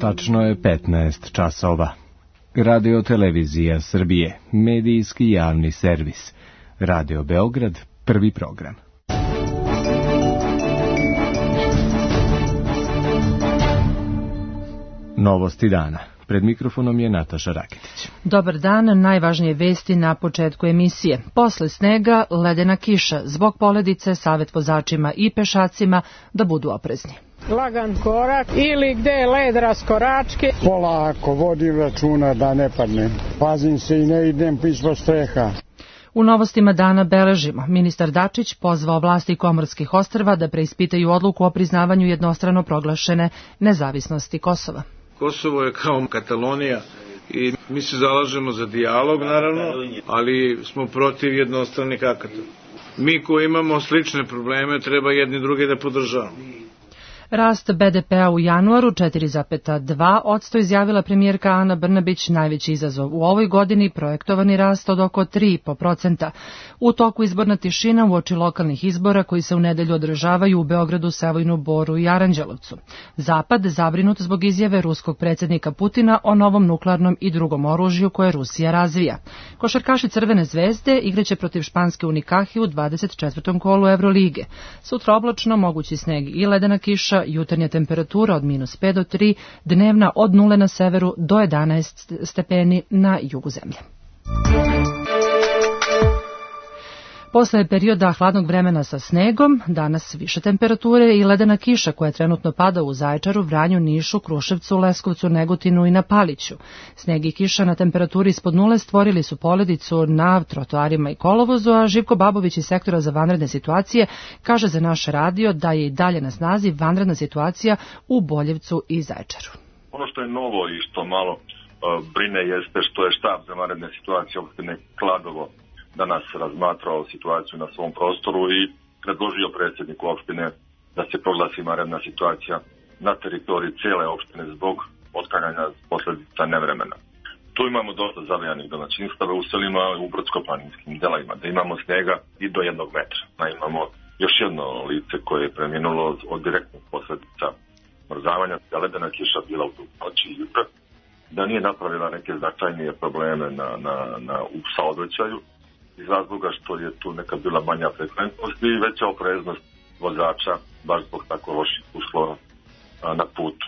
Tačno je 15 časova. Radio Televizija Srbije, medijski javni servis. Radio Beograd, prvi program. Novosti dana. Pred mikrofonom je Nataša Raketić. Dobar dan, najvažnije vesti na početku emisije. Posle snega, ledena kiša. Zbog poledice, savjet vozačima i pešacima da budu oprezni. Lagan korak ili gde je led raskoračke. Polako, vodim računa da ne padnem. Pazim se i ne idem ispod streha. U novostima dana beležimo. Ministar Dačić pozvao vlasti Komorskih ostrva da preispitaju odluku o priznavanju jednostrano proglašene nezavisnosti Kosova. Kosovo je kao Katalonija i mi se zalažemo za dijalog, naravno, ali smo protiv jednostranih akata. Mi koji imamo slične probleme treba jedni drugi da podržavamo. Rast BDP-a u januaru 4,2%, izjavila premijerka Ana Brnabić, najveći izazov u ovoj godini, projektovani rast od oko 3,5%. U toku izborna tišina uoči lokalnih izbora koji se u nedelju održavaju u Beogradu, Sevojnu, Boru i Aranđelovcu. Zapad zabrinut zbog izjave ruskog predsjednika Putina o novom nuklearnom i drugom oružju koje Rusija razvija. Košarkaši Crvene zvezde igraće protiv španske Unikahi u 24. kolu Evrolige. Sutra oblačno, mogući sneg i ledena kiša, jutarnja temperatura od -5 do 3, dnevna od 0 na severu do 11 stepeni na jugu zemlje. Posle perioda hladnog vremena sa snegom, danas više temperature i ledena kiša koja trenutno pada u Zaječaru, Vranju, Nišu, Kruševcu, Leskovcu, Negotinu i na Paliću. Sneg i kiša na temperaturi ispod 0 stvorili su poledicu na trotoarima i kolovozu, a Živko Babović iz sektora za vanredne situacije kaže za naš radio da je i dalje na snazi vanredna situacija u Boljevcu i Zaječaru. Ono što je novo i što malo brine jeste što je štab za vanredne situacije opštine Kladovo danas razmatrao situaciju na svom prostoru i predložio predsjedniku opštine da se proglasi vanredna situacija na teritoriji cijele opštine zbog otklanjanja posljedica nevremena. Tu imamo dosta zavijanih domaćinstava u selima u brdsko-planinskim delovima, da imamo snega i do 1 metra. Imamo još jedno lice koje je preminulo od direktnih posljedica mrzavanja, da ledena kiša bila u noći i jutra, da nije napravila neke značajnije probleme u saobraćaju, iz razloga što je tu neka bila manja frekventnost i veća opreznost vozača, baš zbog tako loših uslova na putu.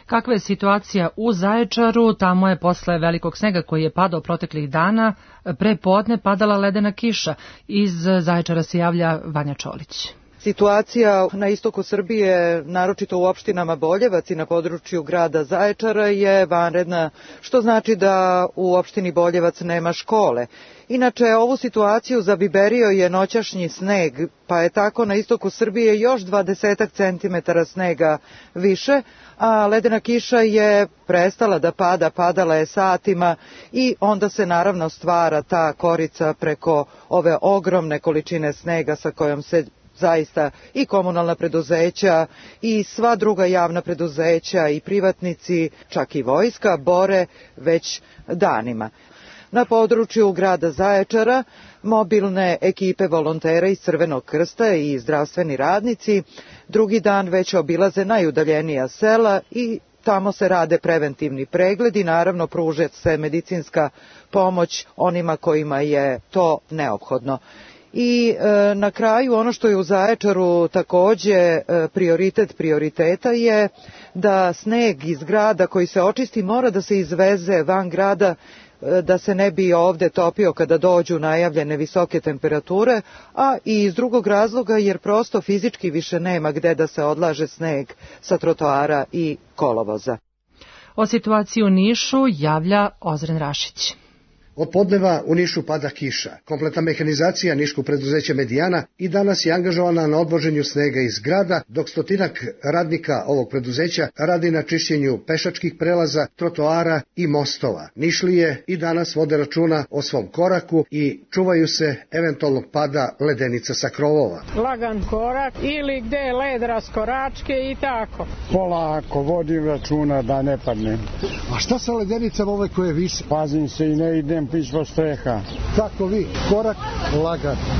Kakva je situacija u Zaječaru? Tamo je posle velikog snega koji je padao proteklih dana, pre podne padala ledena kiša. Iz Zaječara se javlja Vanja Čolić. Situacija na istoku Srbije, naročito u opštinama Boljevac i na području grada Zaječara, je vanredna, što znači da u opštini Boljevac nema škole. Inače, ovu situaciju zabiberio je noćašnji sneg, pa je tako na istoku Srbije još 20 centimetara snega više, a ledena kiša je prestala da pada, padala je satima i onda se naravno stvara ta korica preko ove ogromne količine snega sa kojom se zaista i komunalna preduzeća i sva druga javna preduzeća i privatnici, čak i vojska, bore već danima. Na području grada Zaječara mobilne ekipe volontera iz Crvenog krsta i zdravstveni radnici drugi dan već obilaze najudaljenija sela i tamo se rade preventivni pregledi, naravno pruža se medicinska pomoć onima kojima je to neophodno. I na kraju ono što je u Zaječaru takođe prioritet prioriteta je da sneg iz grada koji se očisti mora da se izveze van grada, da se ne bi ovde topio kada dođu najavljene visoke temperature, a i iz drugog razloga jer prosto fizički više nema gde da se odlaže sneg sa trotoara i kolovoza. O situaciji u Nišu javlja Ozren Rašić. Od podneva u Nišu pada kiša. Kompletna mehanizacija niškog preduzeća Medijana i danas je angažovana na odvoženju snega iz grada, dok 100 radnika ovog preduzeća radi na čišćenju pešačkih prelaza, trotoara i mostova. Nišlije i danas vode računa o svom koraku i čuvaju se eventualnog pada ledenica sa krovova. Lagan korak ili gde je led raskoračke i tako. Polako, vodim računa da ne padnem. A šta sa ledenicama ove koje vise? Pazim se i ne idem ispod streha. Kako vi? Korak?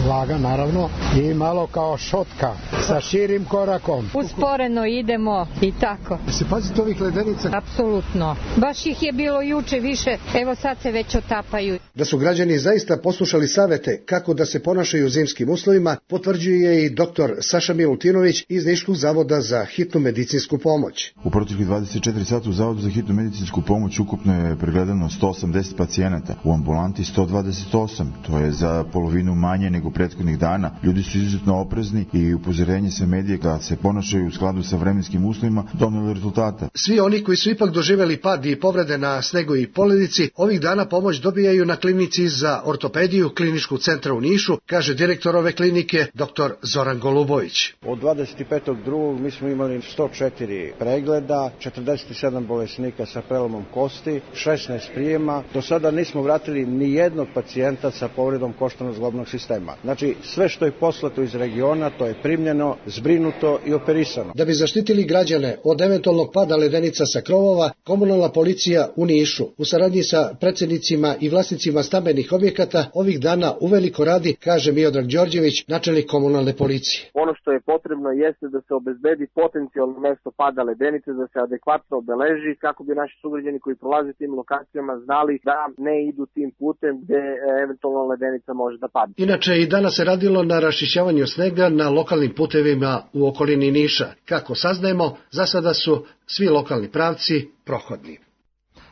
Lagan, naravno, i malo kao šotka. sa širim korakom. Usporeno idemo i tako. Se pazite ovih ledenica? Apsolutno. Baš ih je bilo juče više, evo sad se već otapaju. Da su građani zaista poslušali savete kako da se ponašaju u zimskim uslovima, potvrđuje i dr. Saša Milutinović iz Niškog zavoda za hitnu medicinsku pomoć. U proteklih 24 sata u Zavodu za hitnu medicinsku pomoć ukupno je pregledano 180 pacijenata, u ambulanti 128, to je za polovinu manje nego prethodnih dana. Ljudi su izuzetno oprezni i upozorenje sa medije da se ponašaju u skladu sa vremenskim uslovima doneli rezultata. Svi oni koji su ipak doživjeli pad i povrede na snegu i poledici, ovih dana pomoć dobijaju na klinici za ortopediju Kliničkog centra u Nišu, kaže direktor ove klinike dr. Zoran Golubović. Od 25.2. mi smo imali 104 pregleda, 47 bolesnika sa prelomom kosti, 16 prijema. Do sada nismo vratili ni jednog pacijenta sa povredom koštano-zglobnog sistema. Znači, sve što je poslato iz regiona, to je primljeno, zbrinuto i operisano. Da bi zaštitili građane od eventualnog pada ledenica sa krovova, komunalna policija u Nišu u saradnji sa predsjednicima i vlasnicima stambenih objekata ovih dana uveliko radi, kaže Miodrag Đorđević, načelnik komunalne policije. Ono što je potrebno jeste da se obezbedi potencijalno mesto pada ledenice, da se adekvatno obeleži kako bi naši sugrađani koji prolaze tim lokacijama znali da ne idu tim putem gde eventualno ledenica može da padne. Inače i danas se radilo na raščišćavanju snega na lokalnim putevima u okolini Niša. Kako saznajemo, za sada su svi lokalni pravci prohodni.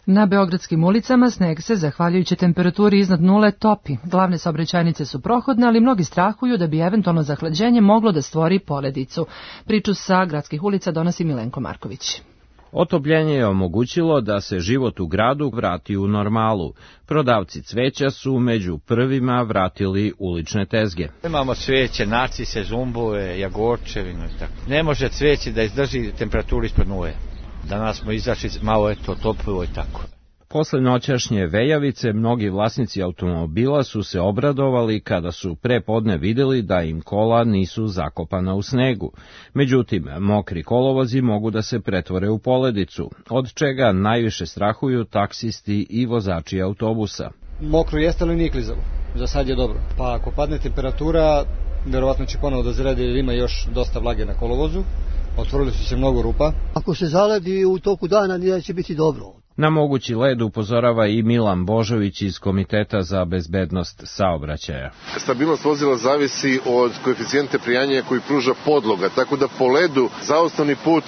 Na beogradskim ulicama sneg se, zahvaljujući temperaturi iznad nule, topi. Glavne saobraćajnice su prohodne, ali mnogi strahuju da bi eventualno zahlađenje moglo da stvori poledicu. Priču sa gradskih ulica donosi Milenko Marković. Otopljenje je omogućilo da se život u gradu vrati u normalu. Prodavci cveća su među prvima vratili ulične tezge. Imamo cveće, narcise, zumbove, jagorčevinu i tako. Ne može cveće da izdrži temperaturu ispod nule. Danas smo izašli malo toplo i tako. Posle noćašnje vejavice, mnogi vlasnici automobila su se obradovali kada su pre podne vidjeli da im kola nisu zakopana u snegu. Međutim, mokri kolovozi mogu da se pretvore u poledicu, od čega najviše strahuju taksisti i vozači autobusa. Mokro jeste, ali nije klizavo. Za sad je dobro. Pa ako padne temperatura, verovatno će ponovo da zredi jer ima još dosta vlage na kolovozu. Otvorili su se mnogo rupa. Ako se zaledi u toku dana, nije će biti dobro. Na mogući led upozorava i Milan Božović iz Komiteta za bezbednost saobraćaja. Stabilnost vozila zavisi od koeficijente prijanja koji pruža podloga, tako da po ledu zaostavni put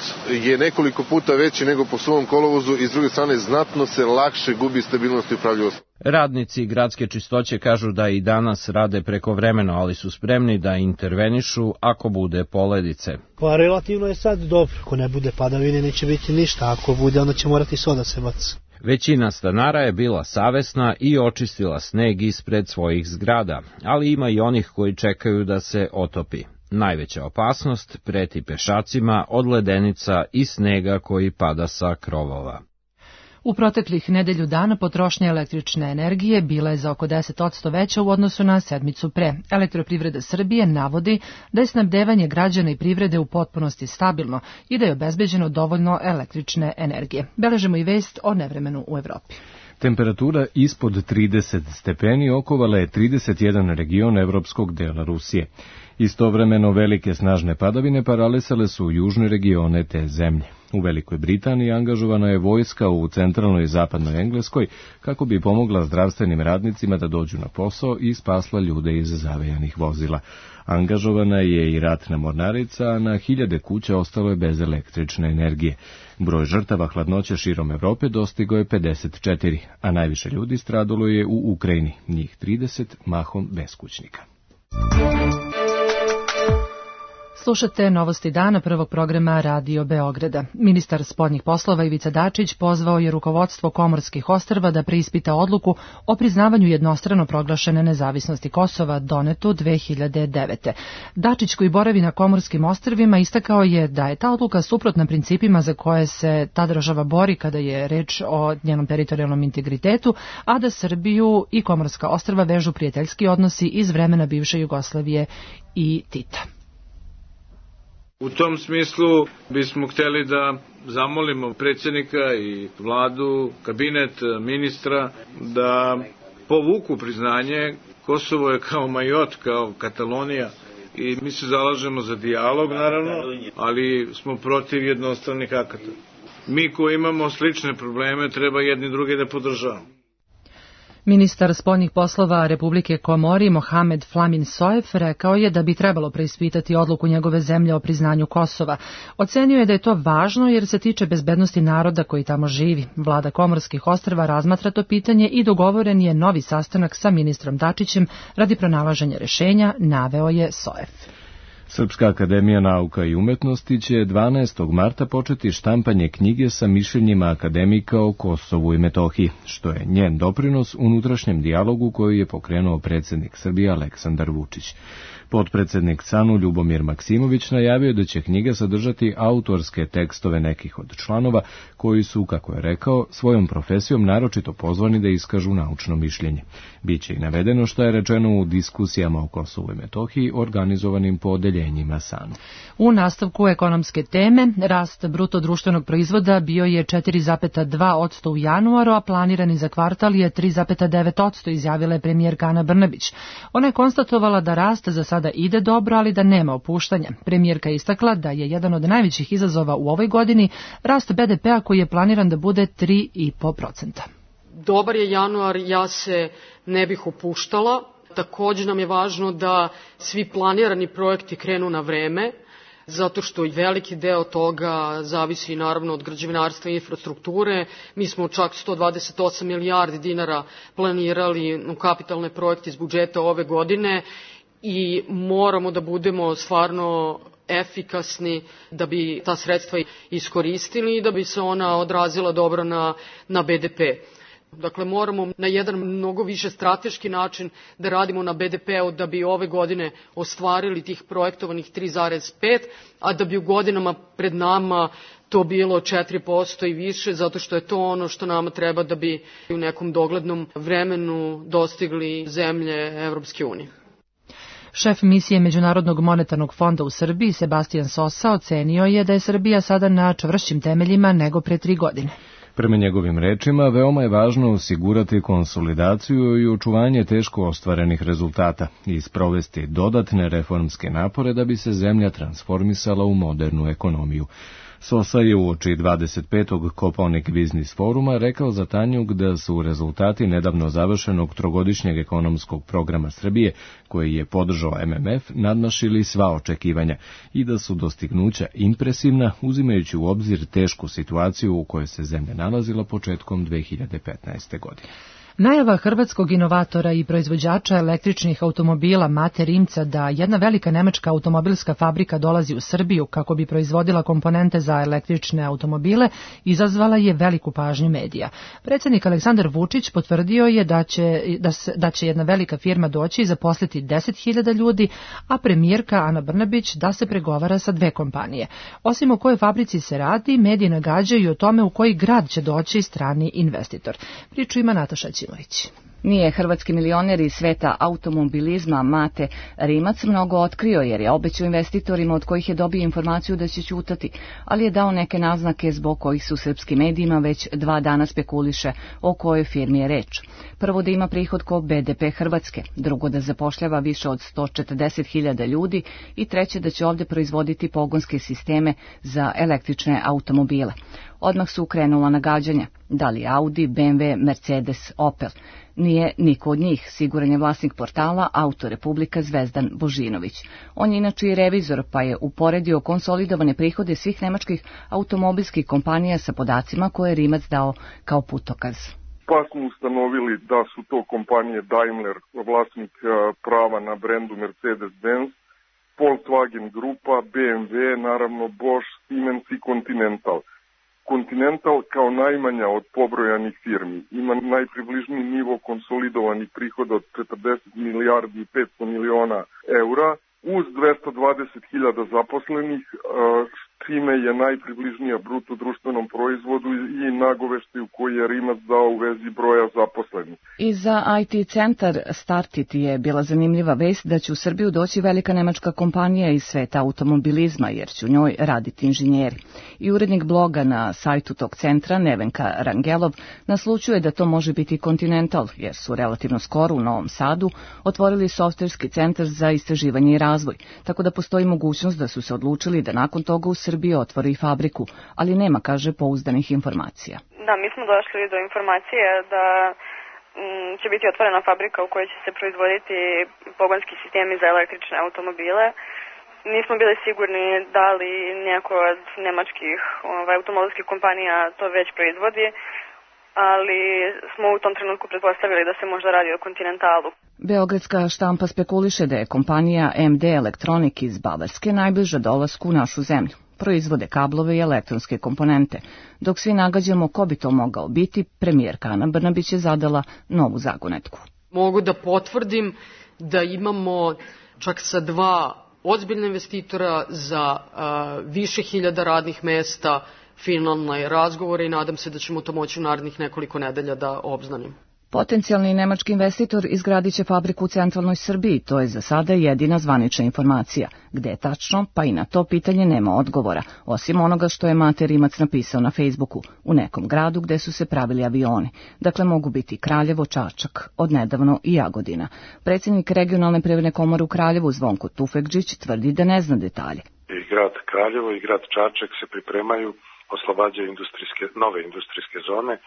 je nekoliko puta veći nego po suvom kolovozu i s druge strane znatno se lakše gubi stabilnost i upravljivost. Radnici gradske čistoće kažu da i danas rade prekovremeno, ali su spremni da intervenišu ako bude poledice. Pa relativno je sad dobro, ako ne bude padavine neće biti ništa, ako bude onda će morati soda se baci. Većina stanara je bila savesna i očistila sneg ispred svojih zgrada, ali ima i onih koji čekaju da se otopi. Najveća opasnost preti pešacima od ledenica i snega koji pada sa krovova. U proteklih nedelju dana potrošnja električne energije bila je za oko 10% veća u odnosu na sedmicu pre. Elektroprivreda Srbije navodi da je snabdevanje građana i privrede u potpunosti stabilno i da je obezbeđeno dovoljno električne energije. Beležemo i vest o nevremenu u Evropi. Temperatura ispod 30 stepeni okovala je 31 region evropskog dela Rusije. Istovremeno velike snažne padavine paralisale su južne regione te zemlje. U Velikoj Britaniji angažovana je vojska u centralnoj i zapadnoj Engleskoj kako bi pomogla zdravstvenim radnicima da dođu na posao i spasla ljude iz zavejanih vozila. Angažovana je i ratna mornarica, a na hiljade kuća ostalo je bez električne energije. Broj žrtava hladnoće širom Evrope dostigao je 54, a najviše ljudi stradalo je u Ukrajini, njih 30 mahom beskućnika. Slušate novosti dana prvog programa Radio Beograda. Ministar spoljnih poslova Ivica Dačić pozvao je rukovodstvo Komorskih ostrva da preispita odluku o priznavanju jednostrano proglašene nezavisnosti Kosova donetu 2009. Dačić, koji boravi na Komorskim ostrvima, istakao je da je ta odluka suprotna principima za koje se ta država bori kada je reč o njenom teritorijalnom integritetu, a da Srbiju i Komorska ostrva vežu prijateljski odnosi iz vremena bivše Jugoslavije i Tita. U tom smislu bismo hteli da zamolimo predsjednika i vladu, kabinet, ministra da povuku priznanje. Kosovo je kao Majot, kao Katalonija i mi se zalažemo za dijalog, naravno, ali smo protiv jednostranih akata. Mi koji imamo slične probleme treba jedni drugi da podržavamo. Ministar spoljnih poslova Republike Komori Mohamed Flamin Soef rekao je da bi trebalo preispitati odluku njegove zemlje o priznanju Kosova. Ocenio je da je to važno jer se tiče bezbednosti naroda koji tamo živi. Vlada Komorskih ostrva razmatra to pitanje i dogovoren je novi sastanak sa ministrom Dačićem radi pronalaženja rešenja, naveo je Soef. Srpska akademija nauka i umetnosti će 12. marta početi štampanje knjige sa mišljenjima akademika o Kosovu i Metohiji, što je njen doprinos unutrašnjem dijalogu koji je pokrenuo predsjednik Srbije Aleksandar Vučić. Potpredsednik SANU Ljubomir Maksimović najavio da će knjiga sadržati autorske tekstove nekih od članova koji su, kako je rekao, svojom profesijom naročito pozvani da iskažu naučno mišljenje. Biće i navedeno što je rečeno u diskusijama o Kosovu i Metohiji organizovanim po odeljenjima SANU. U nastavku ekonomske teme, rast bruto društvenog proizvoda bio je 4,2% u januaru, a planirani za kvartal je 3,9%, izjavila je premijerka Ana Brnabić. Ona je konstatovala da rast za sada ide dobro, ali da nema opuštanja. Premijerka je istakla da je jedan od najvećih izazova u ovoj godini rast BDP-a koji je planiran da bude 3,5%. Dobar je januar, ja se ne bih opuštala. Također nam je važno da svi planirani projekti krenu na vreme, zato što i veliki deo toga zavisi naravno od građevinarstva i infrastrukture. Mi smo čak 128 milijardi dinara planirali u kapitalne projekte iz budžeta ove godine i moramo da budemo stvarno efikasni da bi ta sredstva iskoristili i da bi se ona odrazila dobro na BDP. Dakle, moramo na jedan mnogo više strateški način da radimo na BDP-u da bi ove godine ostvarili tih projektovanih 3,5, a da bi u godinama pred nama to bilo 4% i više, zato što je to ono što nama treba da bi u nekom doglednom vremenu dostigli zemlje Evropske unije. Šef misije Međunarodnog monetarnog fonda u Srbiji, Sebastian Sosa, ocenio je da je Srbija sada na čvršćim temeljima nego pre 3 godine. Prema njegovim rečima, veoma je važno osigurati konsolidaciju i očuvanje teško ostvarenih rezultata i sprovesti dodatne reformske napore da bi se zemlja transformisala u modernu ekonomiju. Sosa je uoči 25. Kopaonik Biznis foruma rekao za Tanjug da su rezultati nedavno završenog trogodišnjeg ekonomskog programa Srbije, koji je podržao MMF, nadmašili sva očekivanja i da su dostignuća impresivna, uzimajući u obzir tešku situaciju u kojoj se zemlja nalazila početkom 2015. godine. Najava hrvatskog inovatora i proizvođača električnih automobila Mate Rimca da jedna velika nemačka automobilska fabrika dolazi u Srbiju kako bi proizvodila komponente za električne automobile izazvala je veliku pažnju medija. Predsjednik Aleksandar Vučić potvrdio je da će jedna velika firma doći i zaposliti 10.000 ljudi, a premijerka Ana Brnabić da se pregovara sa 2 kompanije. Osim o kojoj fabrici se radi, mediji nagađaju i o tome u koji grad će doći strani investitor. Priču ima Nataša Ćimović. Nije hrvatski milioner iz sveta automobilizma Mate Rimac mnogo otkrio jer je obećao investitorima od kojih je dobio informaciju da će ćutati, ali je dao neke naznake zbog kojih su srpskim medijima već 2 dana spekuliše o kojoj firmi je reč. Prvo da ima prihod ko BDP Hrvatske, drugo da zapošljava više od 140.000 ljudi i treće da će ovdje proizvoditi pogonske sisteme za električne automobile. Odmah su krenula nagađanja, da li Audi, BMW, Mercedes, Opel. Nije niko od njih, siguran je vlasnik portala Auto Republika Zvezdan Božinović. On je inače i revizor, pa je uporedio konsolidovane prihode svih nemačkih automobilskih kompanija sa podacima koje je Rimac dao kao putokaz. Pa smo ustanovili da su to kompanije Daimler, vlasnik prava na brendu Mercedes-Benz, Volkswagen grupa, BMW, naravno Bosch, Siemens i Continental. Continental kao najmanja od pobrojanih firmi ima najpribližniji nivo konsolidovanih prihoda od 40 milijardi i 500 miliona eura uz 220.000 zaposlenih, čime je najpribližnija bruto društvenom proizvodu i nagoveštaju koji je Rimac dao u vezi broja zaposlenih. I za IT centar Startit je bila zanimljiva vest da će u Srbiju doći velika nemačka kompanija iz sveta automobilizma, jer će u njoj raditi inženjeri. I urednik bloga na sajtu tog centra, Nevenka Rangelov, naslučuje da to može biti Continental, jer su relativno skoro u Novom Sadu otvorili softverski centar za istraživanje i razvoj, tako da postoji mogućnost da su se odlučili da nakon toga u Srbiji otvori fabriku, ali nema, kaže, pouzdanih informacija. Da, mi smo došli do informacije da će biti otvorena fabrika u kojoj će se proizvoditi pogonski sistemi za električne automobile. Nismo bili sigurni da li neko od nemačkih automobilskih kompanija to već proizvodi, ali smo u tom trenutku pretpostavili da se možda radi o Continentalu. Beogradska štampa spekuliše da je kompanija MD Electronic iz Bavarske najbliža dolasku u našu zemlju. Proizvode kablove i elektronske komponente. Dok svi nagađamo ko bi to mogao biti, premijerka Ana Brnabić je zadala novu zagonetku. Mogu da potvrdim da imamo čak sa 2 ozbiljna investitora za više hiljada radnih mesta, finalne razgovore i nadam se da ćemo to moći u narednih nekoliko nedelja da obznanim. Potencijalni nemački investitor izgradit će fabriku u centralnoj Srbiji, to je za sada jedina zvanična informacija. Gde je tačno, pa i na to pitanje nema odgovora, osim onoga što je Mate Rimac napisao na Facebooku, u nekom gradu gde su se pravili avioni. Dakle, mogu biti Kraljevo, Čačak, odnedavno i Jagodina. Predsjednik regionalne privredne komore u Kraljevu, Zvonko Tufekđić, tvrdi da ne zna detalje. I grad Kraljevo i grad Čačak se pripremaju, oslobađaju nove industrijske zone,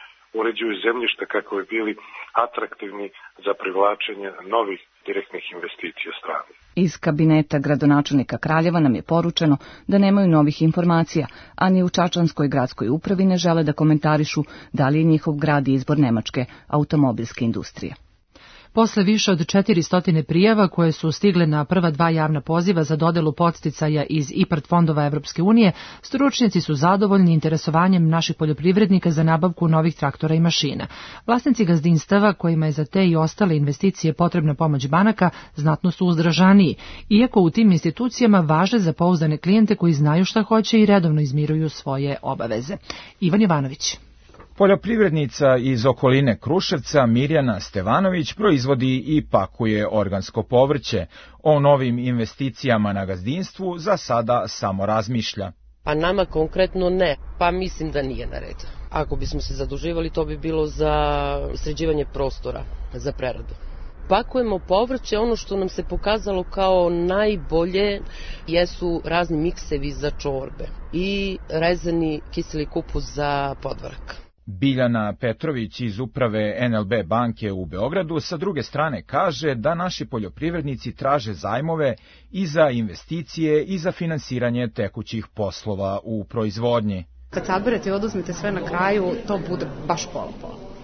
uređuju zemljišta kako bi bili atraktivni za privlačenje novih direktnih investicija strane. Iz kabineta gradonačelnika Kraljeva nam je poručeno da nemaju novih informacija, a ni u Čačanskoj gradskoj upravi ne žele da komentarišu da li je njihov grad izbor nemačke automobilske industrije. Posle više od 400 prijava koje su stigle na prva 2 javna poziva za dodelu podsticaja iz IPARD fondova Evropske unije, stručnjaci su zadovoljni interesovanjem naših poljoprivrednika za nabavku novih traktora i mašina. Vlasnici gazdinstava kojima je za te i ostale investicije potrebna pomoć banaka znatno su uzdržaniji, iako u tim institucijama važe za pouzdane klijente koji znaju šta hoće i redovno izmiruju svoje obaveze. Ivan Jovanović. Poljoprivrednica iz okoline Kruševca Mirjana Stevanović proizvodi i pakuje organsko povrće. O novim investicijama na gazdinstvu za sada samo razmišlja. Pa nama konkretno ne, pa mislim da nije na redu. Ako bismo se zaduživali, to bi bilo za sređivanje prostora za preradu. Pakujemo povrće, ono što nam se pokazalo kao najbolje jesu razni miksevi za čorbe i rezani kiseli kupus za podvarak. Biljana Petrović iz uprave NLB banke u Beogradu sa druge strane kaže da naši poljoprivrednici traže zajmove i za investicije i za finansiranje tekućih poslova u proizvodnji. Kad saberete i oduzmete sve na kraju, to bude baš pola.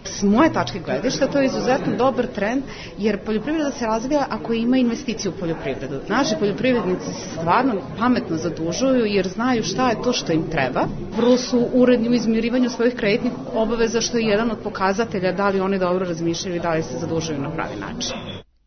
S moje tačke gledišta to je izuzetno dobar trend, jer poljoprivreda se razvija ako ima investiciju u poljoprivredu. Naši poljoprivrednici stvarno pametno zadužuju jer znaju šta je to što im treba. Vrlo su uredni u izmirivanju svojih kreditnih obaveza, što je jedan od pokazatelja da li oni dobro razmišljaju i da li se zadužuju na pravi način.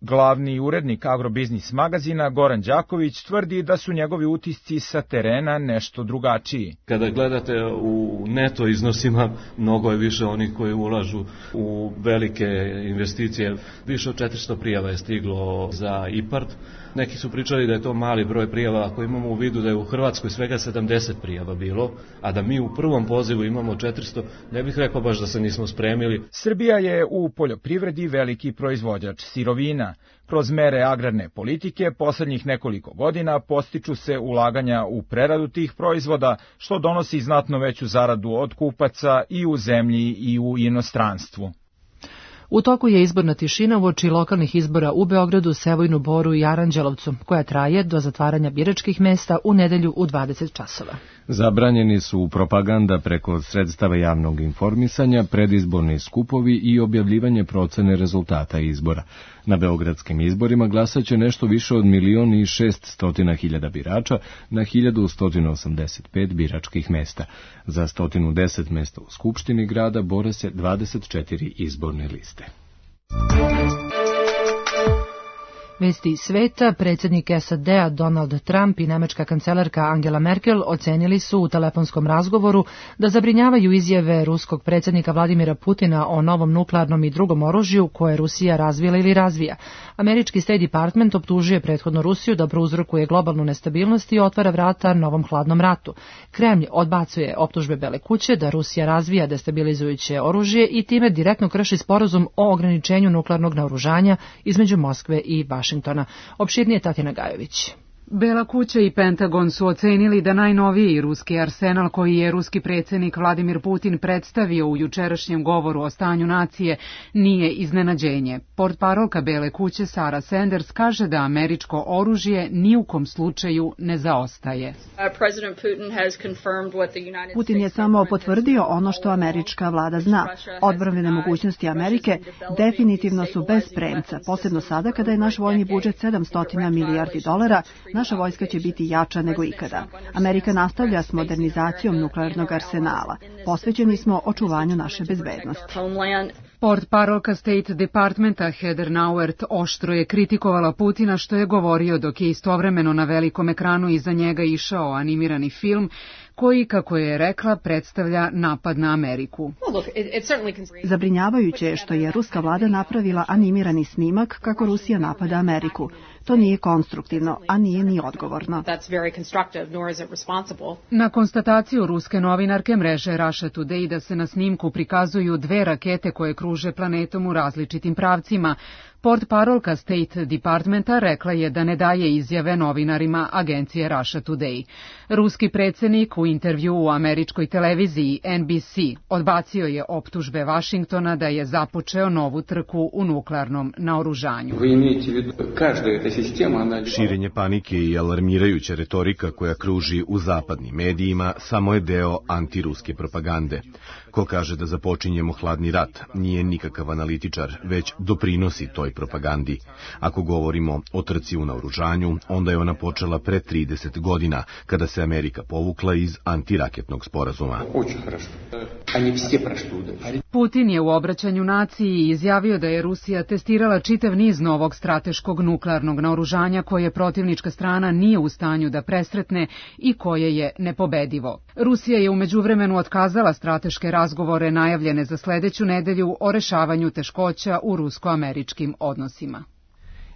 Glavni urednik Agrobiznis magazina Goran Đaković tvrdi da su njegovi utisci sa terena nešto drugačiji. Kada gledate u neto iznosima, mnogo je više onih koji ulažu u velike investicije. Više od 400 prijava je stiglo za IPARD. Neki su pričali da je to mali broj prijava, ako imamo u vidu da je u Hrvatskoj svega 70 prijava bilo, a da mi u prvom pozivu imamo 400, ne bih rekao baš da se nismo spremili. Srbija je u poljoprivredi veliki proizvođač sirovina. Kroz mere agrarne politike poslednjih nekoliko godina postiču se ulaganja u preradu tih proizvoda, što donosi znatno veću zaradu od kupaca i u zemlji i u inostranstvu. U toku je izborna tišina uoči lokalnih izbora u Beogradu, Sevojnu, Boru i Aranđelovcu, koja traje do zatvaranja biračkih mesta u nedelju u 20 časova. Zabranjeni su propaganda preko sredstava javnog informisanja, predizborni skupovi i objavljivanje procene rezultata izbora. Na beogradskim izborima glasaće nešto više od 1.600.000 birača na 1.185 biračkih mesta. Za 110 mesta u Skupštini grada bore se 24 izborne liste. Vesti iz sveta, predsjednik SAD-a Donald Trump i nemačka kancelarka Angela Merkel ocenili su u telefonskom razgovoru da zabrinjavaju izjave ruskog predsjednika Vladimira Putina o novom nuklearnom i drugom oružju koje Rusija razvila ili razvija. Američki State Department optužuje prethodno Rusiju da prouzrokuje globalnu nestabilnost i otvara vrata novom hladnom ratu. Kremlj odbacuje optužbe Bele kuće da Rusija razvija destabilizujuće oružje i time direktno krši sporazum o ograničenju nuklearnog naoružanja između Moskve i Vašingtona. Opširnije Tatjana Gajović. Bela kuća i Pentagon su ocenili da najnoviji ruski arsenal koji je ruski predsjednik Vladimir Putin predstavio u jučerašnjem govoru o stanju nacije nije iznenađenje. Portparolka Bele kuće Sara Sanders kaže da američko oružje ni u kom slučaju ne zaostaje. Putin je samo potvrdio ono što američka vlada zna. Odbrambene mogućnosti Amerike definitivno su bez premca, posebno sada kada je naš vojni budžet $700 milijardi. Naša vojska će biti jača nego ikada. Amerika nastavlja s modernizacijom nuklearnog arsenala. Posvećeni smo očuvanju naše bezbednosti. Portparolka State Departmenta Heather Nauert oštro je kritikovala Putina što je govorio dok je istovremeno na velikom ekranu iza njega išao animirani film koji, kako je rekla, predstavlja napad na Ameriku. Zabrinjavajuće je što je ruska vlada napravila animirani snimak kako Rusija napada Ameriku. To nije konstruktivno, a nije ni odgovorno. Na konstataciju ruske novinarke mreže Russia Today da se na snimku prikazuju 2 rakete koje kruže planetom u različitim pravcima, portparolka State Departmenta rekla je da ne daje izjave novinarima agencije Russia Today. Ruski predsjednik u intervju u američkoj televiziji NBC odbacio je optužbe Vašingtona da je započeo novu trku u nuklearnom naoružanju. Širenje panike i alarmirajuća retorika koja kruži u zapadnim medijima samo je deo antiruske propagande. Ko kaže da započinjemo hladni rat nije nikakav analitičar, već doprinosi toj propagandi. Ako govorimo o trci u naoružanju, onda je ona počela pre 30 godina, kada se Amerika povukla iz antiraketnog sporazuma. Putin je u obraćanju naciji izjavio da je Rusija testirala čitav niz novog strateškog nuklearnog naoružanja koje protivnička strana nije u stanju da presretne i koje je nepobedivo. Rusija je u međuvremenu otkazala strateške razgovore najavljene za sledeću nedelju o rešavanju teškoća u rusko-američkim odnosima.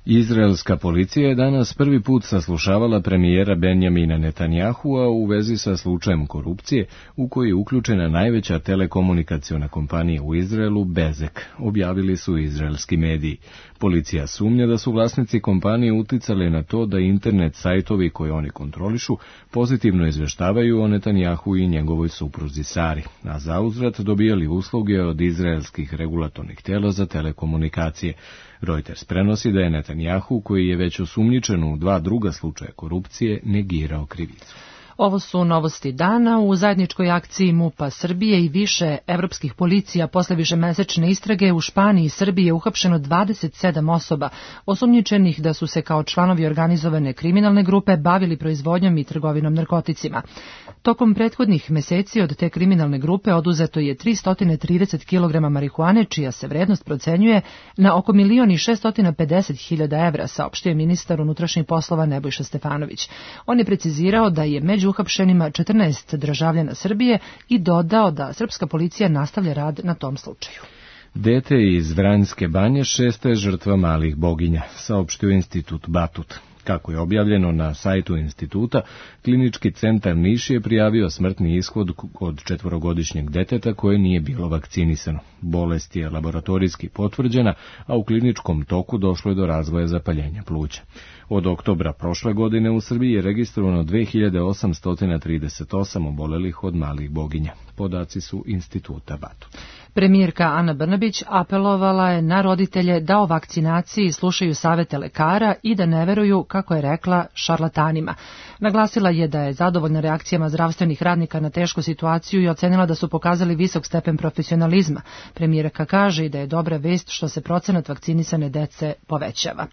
Izraelska policija je danas prvi put saslušavala premijera Benjamina Netanyahua u vezi sa slučajem korupcije u koji je uključena najveća telekomunikaciona kompanija u Izraelu, Bezek, objavili su izraelski mediji. Policija sumnja da su vlasnici kompanije uticali na to da internet sajtovi koje oni kontrolišu pozitivno izveštavaju o Netanjahu i njegovoj supruzi Sari, a zauzvrat dobijali usluge od izraelskih regulatornih tela za telekomunikacije. Reuters prenosi da je Netanjahu, koji je već osumnjičen u 2 druga slučaja korupcije, negirao krivicu. Ovo su novosti dana. U zajedničkoj akciji MUP-a Srbije i više evropskih policija posle višemesečne istrage u Španiji i Srbiji je uhapšeno 27 osoba, osumnjičenih da su se kao članovi organizovane kriminalne grupe bavili proizvodnjom i trgovinom narkoticima. Tokom prethodnih meseci od te kriminalne grupe oduzeto je 330 kg marihuane, čija se vrednost procenjuje na oko 1.650.000 evra, saopštio je ministar unutrašnjih poslova Nebojša Stefanović. On je precizirao da je među uhapšenima 14 državljana Srbije i dodao da srpska policija nastavlja rad na tom slučaju. Dete iz Vranjske banje 6. je žrtva malih boginja, saopštio Institut Batut. Kako je objavljeno na sajtu instituta, Klinički centar Niš je prijavio smrtni ishod kod 4-godišnjeg deteta koje nije bilo vakcinisano. Bolest je laboratorijski potvrđena, a u kliničkom toku došlo je do razvoja zapaljenja pluća. Od oktobra prošle godine u Srbiji je registrovano 2838 obolelih od malih boginja. Podaci su Instituta Batut. Premijerka Ana Brnabić apelovala je na roditelje da o vakcinaciji slušaju savete lekara i da ne veruju, kako je rekla, šarlatanima. Naglasila je da je zadovoljna reakcijama zdravstvenih radnika na tešku situaciju i ocenila da su pokazali visok stepen profesionalizma. Premijerka kaže i da je dobra vest što se procenat vakcinisane dece povećava.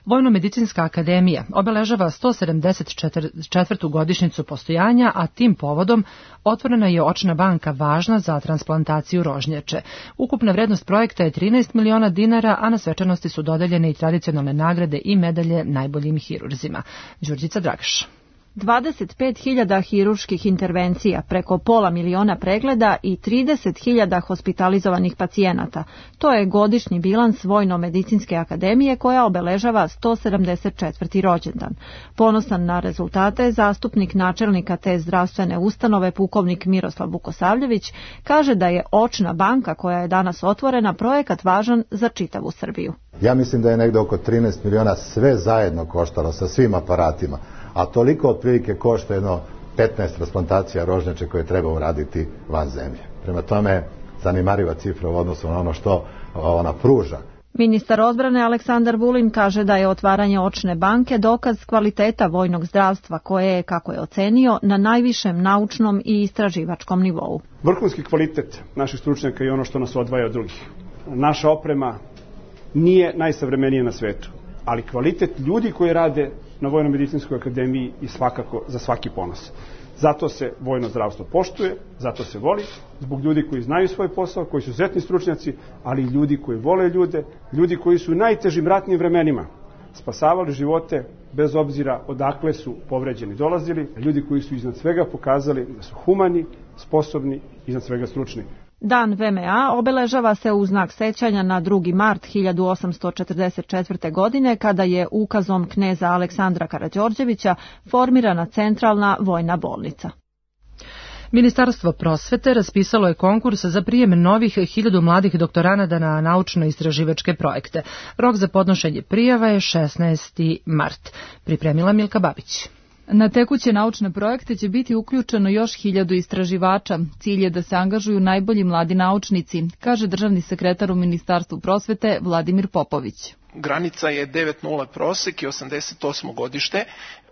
Vojno-medicinska akademija obeležava 174. godišnjicu postojanja, a tim povodom otvorena je očna banka važna za transplantaciju rožnjače. Ukupna vrednost projekta je 13 miliona dinara, a na svečanosti su dodeljene i tradicionalne nagrade i medalje najboljim hirurzima. Đurđica Dragaš. 25.000 hirurških intervencija, preko pola miliona pregleda i 30.000 hospitalizovanih pacijenata. To je godišnji bilans Vojno-medicinske akademije koja obeležava 174. rođendan. Ponosan na rezultate, zastupnik načelnika te zdravstvene ustanove, pukovnik Miroslav Vukosavljević, kaže da je očna banka koja je danas otvorena projekat važan za čitavu Srbiju. Ja mislim da je negde oko 13 miliona sve zajedno koštalo sa svim aparatima. A toliko otprilike košta jedno 15 transplantacija rožnjače koje treba uraditi van zemlje. Prema tome, zanimariva cifra u odnosu na ono što ona pruža. Ministar odbrane Aleksandar Vulin kaže da je otvaranje očne banke dokaz kvaliteta vojnog zdravstva koje je, kako je ocenio, na najvišem naučnom i istraživačkom nivou. Vrhunski kvalitet naših stručnjaka je ono što nas odvaja od drugih. Naša oprema nije najsavremenija na svetu, ali kvalitet ljudi koji rade na Vojno-medicinskoj akademiji i svakako za svaki ponos. Zato se vojno zdravstvo poštuje, zato se voli, zbog ljudi koji znaju svoj posao, koji su izuzetni stručnjaci, ali i ljudi koji vole ljude, ljudi koji su u najtežim ratnim vremenima spasavali živote bez obzira odakle su povređeni dolazili, ljudi koji su iznad svega pokazali da su humani, sposobni i iznad svega stručni. Dan VMA obeležava se u znak sećanja na 2. mart 1844. godine kada je ukazom kneza Aleksandra Karađorđevića formirana centralna vojna bolnica. Ministarstvo prosvete raspisalo je konkurs za prijem novih 1000 mladih doktoranada na naučno-istraživačke projekte. Rok za podnošenje prijava je 16. mart. Pripremila Milka Babić. Na tekuće naučne projekte će biti uključeno još 1000 istraživača. Cilj je da se angažuju najbolji mladi naučnici, kaže državni sekretar u Ministarstvu prosvete Vladimir Popović. Granica je 9.0 prosek i 88. godište.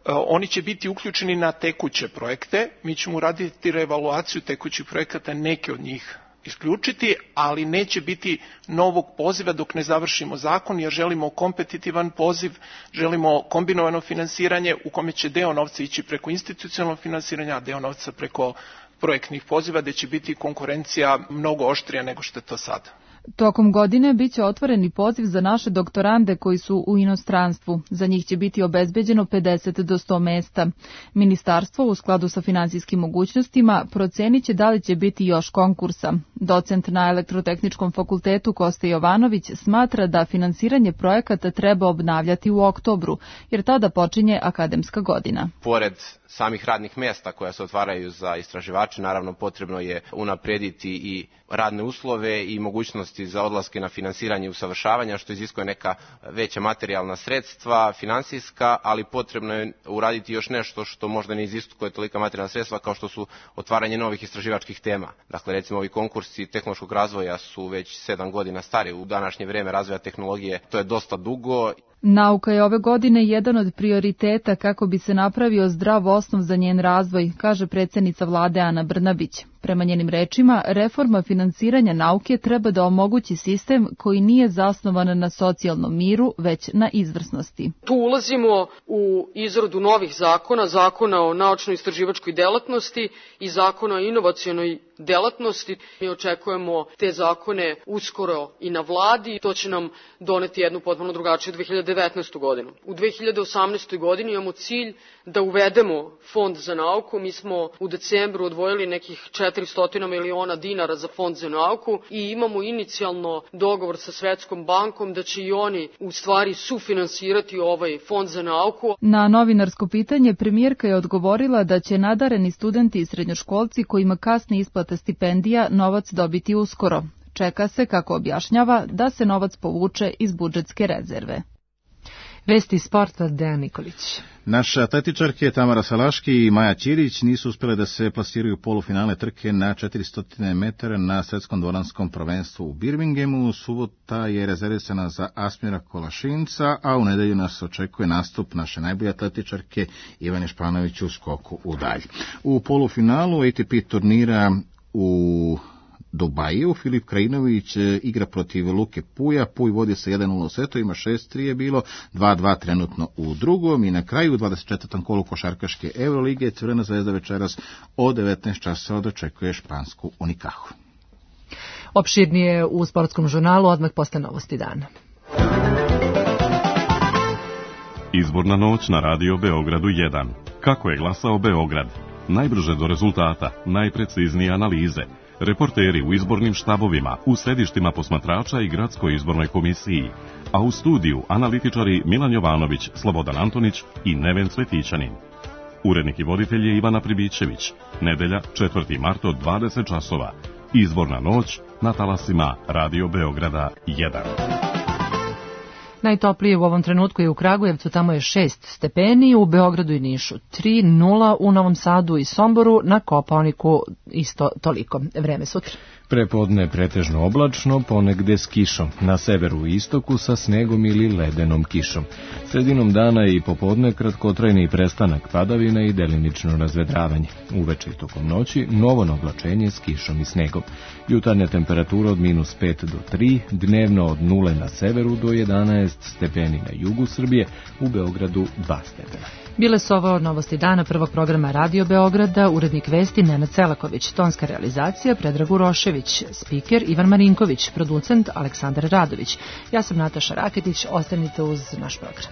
Oni će biti uključeni na tekuće projekte. Mi ćemo uraditi reevaluaciju tekućih projekata, neke od njih isključiti, ali neće biti novog poziva dok ne završimo zakon, jer želimo kompetitivan poziv, želimo kombinovano finansiranje u kome će deo novca ići preko institucionalnog finansiranja, a deo novca preko projektnih poziva, gde će biti konkurencija mnogo oštrija nego što je to sada. Tokom godine biće otvoreni poziv za naše doktorande koji su u inostranstvu. Za njih će biti obezbeđeno 50 do 100 mesta. Ministarstvo u skladu sa finansijskim mogućnostima procenit će da li će biti još konkursa. Docent na Elektrotehničkom fakultetu Kosta Jovanović smatra da finansiranje projekata treba obnavljati u oktobru, jer tada počinje akademska godina. Pored samih radnih mjesta koja se otvaraju za istraživače, naravno potrebno je unaprediti i radne uslove i mogućnosti za odlaske na finansiranje i usavršavanja, što iziskuje neka veća materijalna sredstva, finansijska, ali potrebno je uraditi još nešto što možda ne iziskuje tolika materijalna sredstva kao što su otvaranje novih istraživačkih tema. Dakle, recimo ovi konkursi tehnološkog razvoja su već 7 godina stari. U današnje vrijeme razvoja tehnologije to je dosta dugo. Nauka je ove godine jedan od prioriteta kako bi se napravio zdrav osnov za njen razvoj, kaže predsjednica vlade Ana Brnabić. Prema njenim rečima, reforma finansiranja nauke treba da omogući sistem koji nije zasnovan na socijalnom miru, već na izvrsnosti. Tu ulazimo u izradu novih zakona, zakona o naučno-istraživačkoj delatnosti i zakona o inovacionoj delatnosti. Mi očekujemo te zakone uskoro i na vladi. To će nam doneti jednu potpuno drugačiju 2019. godinu. U 2018. godini imamo cilj da uvedemo fond za nauku. Mi smo u decembru odvojili nekih 400 miliona dinara za fond za nauku i imamo inicijalno dogovor sa Svetskom bankom da će i oni u stvari sufinansirati ovaj fond za nauku. Na novinarsko pitanje premijerka je odgovorila da će nadareni studenti i srednjoškolci kojima kasni isplata stipendija novac dobiti uskoro. Čeka se, kako objašnjava, da se novac povuče iz budžetske rezerve. Vesti sporta, Dejan Nikolić. Naše atletičarke Tamara Salaški i Maja Ćirić nisu uspjele da se plasiraju u polufinale trke na 400 metara na svetskom dvoranskom prvenstvu u Birminghamu. Subota je rezervisana za Asmira Kolašinca, a u nedelju nas očekuje nastup naše najbolje atletičarke Ivane Španović u skoku u dalj. U polufinalu ATP turnira u Dubaju. Filip Krajinović igra protiv Luke Puja. Puj vodi sa 1-0 u setu, ima 6-3 je bilo, 2-2 trenutno u drugom i na kraju 24. kolu košarkaške Eurolige Crvena zvezda večeras od 19 časova dočekuje špansku Unicahu. Opširnije u sportskom žurnalu odmah posle novosti dana. Izborna noć na Radio Beogradu 1. Kako je glasao Beograd? Najbrže do rezultata, najpreciznije analize, reporteri u izbornim štabovima, u središtima posmatrača i gradskoj izbornoj komisiji, a u studiju analitičari Milan Jovanović, Slobodan Antonić i Neven Cvetićanin. Urednik i voditelj je Ivana Pribićević. Nedelja, 4. mart od 20 časova. Izborna noć na talasima Radio Beograda 1. Najtoplije u ovom trenutku je u Kragujevcu, tamo je 6 stepeni, u Beogradu i Nišu 3-0, u Novom Sadu i Somboru, na Kopaoniku isto toliko. Vreme sutra. Prepodne pretežno oblačno, ponegde s kišom, na severu i istoku sa snegom ili ledenom kišom. Sredinom dana i popodne kratkotrajni prestanak padavina i delimično razvedravanje. Uveče i tokom noći novo oblačenje s kišom i snegom. Jutarnja temperatura od -5 do 3, dnevno od 0 na severu do 11 stepeni na jugu Srbije, u Beogradu 2 stepena. Bile su ovo novosti dana prvog programa Radio Beograda, urednik vesti Nenad Selaković, tonska realizacija Predrag Urošević, spiker Ivan Marinković, producent Aleksandar Radović. Ja sam Nataša Raketić, ostanite uz naš program.